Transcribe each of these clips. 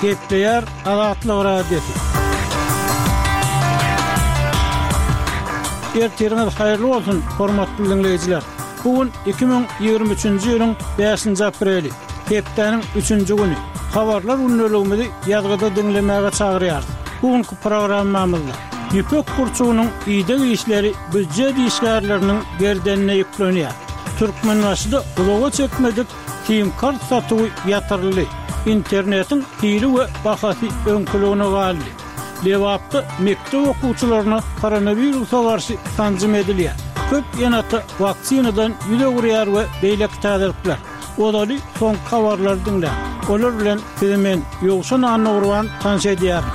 Gepleýär Azatlyk Radiosy. Ertiriňiz haýyrly bolsun, hormatly diňleýjiler! Bu gün 2023-nji ýylyň bäşinji apreli, hepdäniň üçünji güni. Habarlar gündeligimizi ýazgyda diňlemäge çagyrýarys. Bu günki programmamyzda ýüpek gurçugynyň ideg işleri býujet işgärleriniň gerdenine ýüklenýär. Türkmenbaşyda uzaga çekmedik Sim-kart satuwy ýatyryldy. Internetiň hili we bahasy öňküligine galdy. Lebapda mekdep okuwçylaryna koronawirusa garşy sanjym edilýär. Köp ene-ata waksinadan ýüz öwürýär we beýleki täzelikler. Ozaly soňky habarlary diňläň. Olar bilen sizi men, Ýowşan Annagurban tanyş edýärin.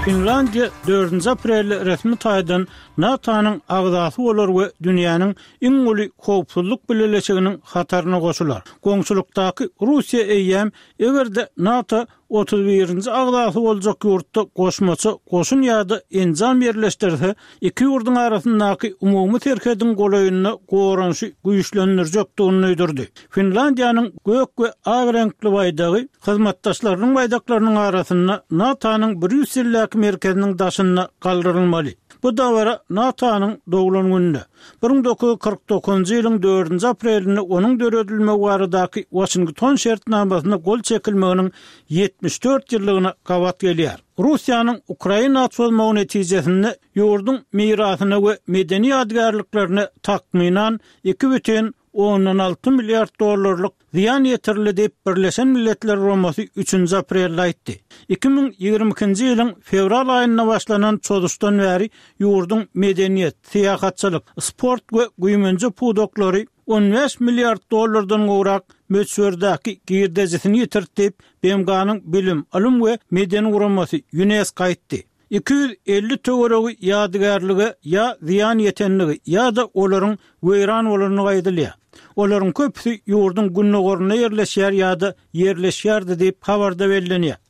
Finlandiýa dördünji aprelde resmi taýdan NATO-nyň agzasy bolar we dünýäniň iň uly howpsuzlyk bileleşiginiň hataryna goşular. Goňşulykdaky Russiýa eýýäm eger-de NATO otuz birinji agzasy boljak ýurtda goşmaça goşun ýa-da enjam ýerleşdirse, iki ýurduň arasyndaky umumy serhediň golaýynda goranyşy güýçlendirjekdigini duýdurdy. Finlandiýanyň gök we ak reňkli baýdagy hyzmatdaşlarynyň baýdaklarynyň arasynda NATO-nyň Brýusseldäki merkeziniň daşynda galdyrylmaly. Bu dabara NATO-nyň doglan gününe, 1949-njy ýylyň dördünji aprelinde onuň döredilmegi baradaky Waşington şertnamasyna gol çekilmeginiň 74 ýyllygyna gabat gelýär. Russiýanyň Ukraina çozmagy netijesinde ýurduň mirasyna we medeni ýadygärliklerine takmynan 2,6 milliard dollarlyk zyýan ýetirildi diýip, Birleşen Milletler Guramasy üçünji aprelde aýtdy. 2022-nji ýylyň fewral aýynda başlanan çozuşdan bäri ýurduň medeniýet, syýahatçylyk, sport we güýmenje pudaklary 15 milliard dollardan gowrak möçberdäki girdejisini ýitirdi diýip, BMG-niň Bilim, ylym we medeni guramasy, Ýunesko aýtdy. 250 töweregi ýadygärlige ýa zyýan ýetendigi ýa-da olaryň weýran bolandygy aýdylýar. Olaryň köpüsi ýurduň gündogarynda ýerleşýär ýa-da ýerleşýärdi diýip, habarda bellenýär.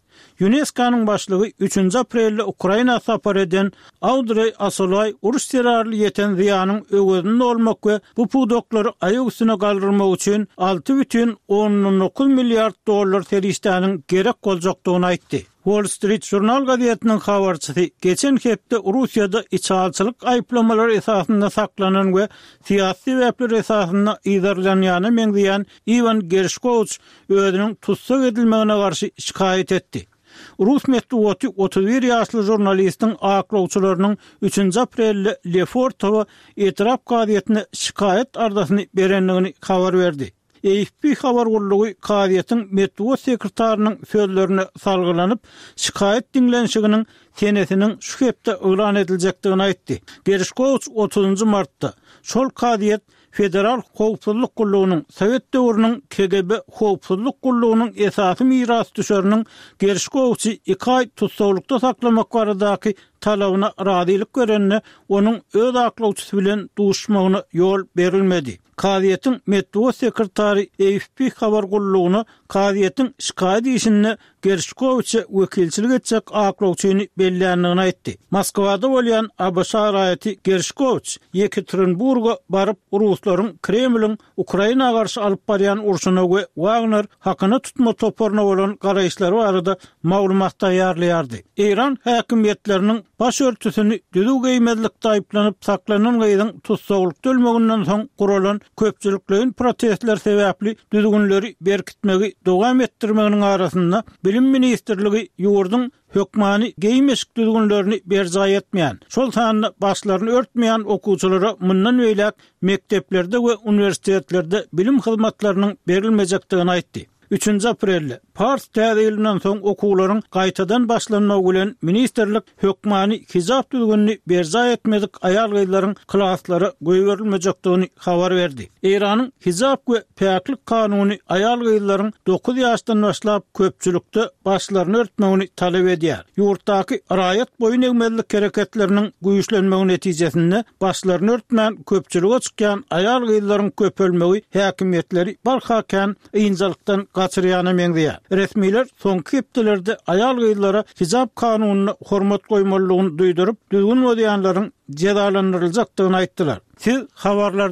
Ýunesko-nyň başlygy üçünji aprelde Ukraina sapar eden Audreý Asolaý uruş zerarly ýeten zyýanyň öwezini dolmak we bu pudaklary aýak üstüne galdyrmak üçin 6,9 milliard dollar serişdäniň gerek boljakdygyny aýtdy. Wall Street Journal gazetiniň habarçysy geçen hepde Russiýada içalyçylyk aýyplamalary esasynda saklanan we syýasy sebäpler esasynda yzarlanýana meňzeýän Iwan Gerşkowiç özüniň tussag edilmegine garşy şikaýat etdi. Rus metbugaty 31 ýaşly žurnalistiň aklawçylarynyň üçünji aprelde Lefortowo etrap kazyýetine şikaýat arzasyny berendigini habar berdi. AFP habar gullugy kazyýetiň metbugat sekretarynyň sözlerine salgylanyp, şikaýat diňlenişiginiň senesiniň şu hepde yglan ediljekdigini aýtdy. Gerşkowiç otuzynjy martda, şol kazyýet Federal howpsuzlyk gullugynyň, sowet döwrüniň KGB howpsuzlyk gullugynyň esasy mirasdüşeriniň Gerşkowiçi iki aý tussaglykda saklamak baradaky talabyna razylyk berende, onuň öz aklawçysy bilen duşuşmagyna ýol berilmedi. Kazyýetiň metbugat sekretary AFP habar gullugyna kazyýetiň şikaýat işinde Gerşkowiçe wekilçilik etjek aklawçyny belländigini aýtdy. Moskwada bolýan ABŞ raýaty Gerşkowiç Ýekaterinburga baryp, ruslaryň Kremliň Ukraina garşy alyp barýan urşuna we Wagner hakyna tutma toparyna bolan garaýyşlary barada maglumat taýýarlaýardy. Eýran häkimiýetleriniň baş örtüsini düzüw geýmezlikde aýyplanyp saklanan gyzyň tussaglykda ölmeginden soň guralan köpçülikleýin protestler sebäpli düzgünleri berkitmegi dowam etdirmeginiň arasynda Bilim ministrligi ýurduň hökmany geýim-eşik düzgünlerini berjaý etmeýän, şol sanda başlaryny örtmeýän okuwçylara mundan beýläk mekdeplerde we uniwersitetlerde bilim hyzmatlarynyň berilmejekdigini aýtdy. Üçünji aprelde, pars täze ýylyndan soň okuwlaryň gaýtadan başlanmagy bilen ministrlik hökmany hijap düzgünini berjaý etmedik aýal-gyzlaryň klaslara goýberilmejekdigini habar berdi. Eýranyň hijap we päklik kanuny aýal-gyzlaryň dokuz ýaşdan başlap köpçülikde başlaryny örtmegini talap edýär. Ýurtdaky raýat boýun egmezlik hereketleriniň güýçlenmegi netijesinde başlaryny örtmän köpçülige çykýan aýal-gyzlaryň köpelmegi häkimiýetleri barha kän ynjalykdan gaçyrýana meňzeýär. Resmiler soňky hepdelerde aýal-gyzlara hijap kanunyna hormat goýmalydygyny duýduryp, düzgün bozýanlaryň jezalandyryljakdygyny aýtdylar. Siz habarlar.